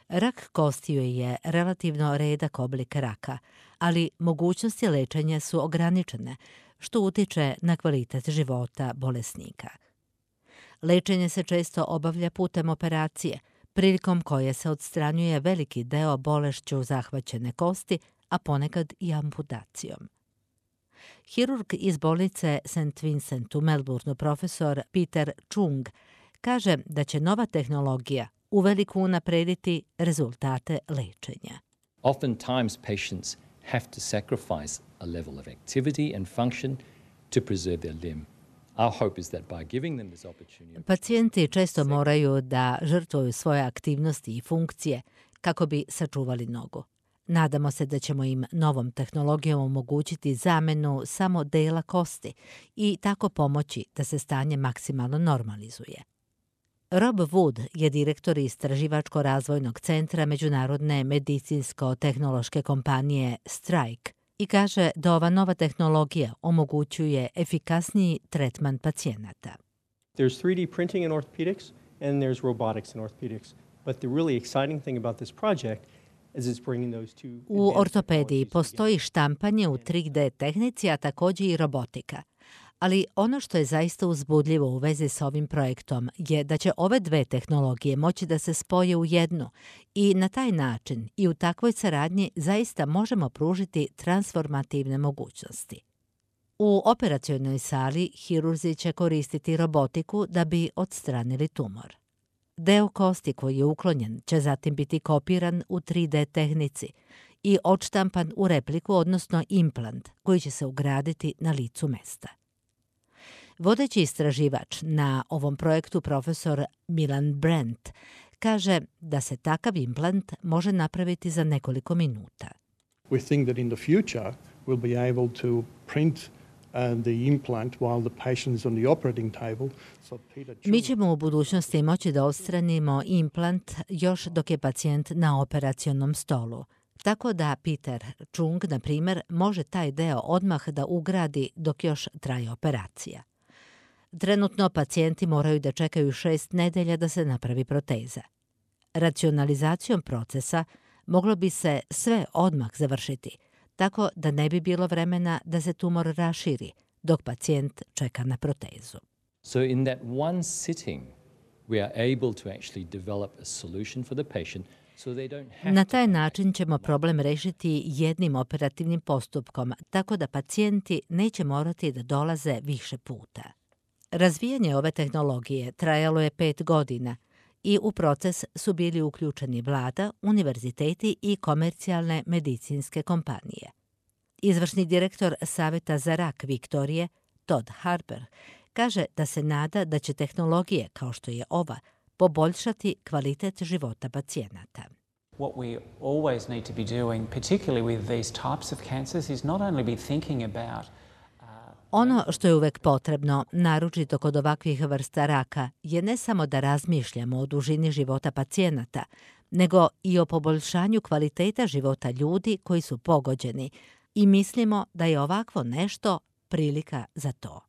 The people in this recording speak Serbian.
Rak kostiju je relativno redak oblik raka, ali mogućnosti lečenja su ograničene, što utiče na kvalitet života bolesnika. Lečenje se često obavlja putem operacije, prilikom koje se odstranjuje veliki deo bolešću zahvaćene kosti, a ponekad i amputacijom. Hirurg iz bolnice St. Vincent u Melbourneu, profesor Peter Chung, kaže da će nova tehnologija uveliko unaprediti rezultate lečenja. Oftentimes patients have to sacrifice a level of activity and function to preserve their limb. Our hope is that by giving them this opportunity... Pacijenti često moraju da žrtvuju svoje aktivnosti i funkcije kako bi sačuvali nogu. Nadamo se da ćemo im novom tehnologijom omogućiti zamenu samo dela kosti i tako pomoći da se stanje maksimalno normalizuje. Rob Wood je direktor istraživačko-razvojnog centra međunarodne medicinsko-tehnološke kompanije Strike i kaže da ova nova tehnologija omogućuje efikasniji tretman pacijenata. There's 3D printing in orthopedics and there's robotics in orthopedics. But the really exciting thing about this project is it's bringing those two... U ortopediji postoji štampanje u 3D tehnici, a također i robotika. Ali ono što je zaista uzbudljivo u vezi s ovim projektom je da će ove dve tehnologije moći da se spoje u jednu i na taj način i u takvoj saradnji zaista možemo pružiti transformativne mogućnosti. U operacionoj sali hirurzi će koristiti robotiku da bi odstranili tumor. Deo kosti koji je uklonjen će zatim biti kopiran u 3D tehnici i odštampan u repliku, odnosno implant, koji će se ugraditi na licu mesta. Vodeći istraživač na ovom projektu, profesor Milan Brent, kaže da se takav implant može napraviti za nekoliko minuta. We think that in the future we'll be able to print the implant while the patient is on the operating table. Mi ćemo u budućnosti moći da odstranimo implant još dok je pacijent na operacionom stolu. Tako da Peter Chung, na primjer, može taj deo odmah da ugradi dok još traje operacija. Trenutno pacijenti moraju da čekaju 6 nedelja da se napravi proteza. Racionalizacijom procesa moglo bi se sve odmah završiti, tako da ne bi bilo vremena da se tumor raširi dok pacijent čeka na protezu. So in that one sitting we are able to actually develop a solution for the patient. Na taj način ćemo problem rešiti jednim operativnim postupkom, tako da pacijenti neće morati da dolaze više puta. Razvijanje ove tehnologije trajalo je 5 godina i u proces su bili uključeni vlada, univerziteti i komercijalne medicinske kompanije. Izvršni direktor Saveta za rak Viktorije, Todd Harper, kaže da se nada da će tehnologije kao što je ova poboljšati kvalitet života pacijenata. What we always need to be doing, particularly with these types of cancers, is not only be thinking about Ono što je uvek potrebno, naročito kod ovakvih vrsta raka, je ne samo da razmišljamo o dužini života pacijenata, nego i o poboljšanju kvaliteta života ljudi koji su pogođeni i mislimo da je ovakvo nešto prilika za to.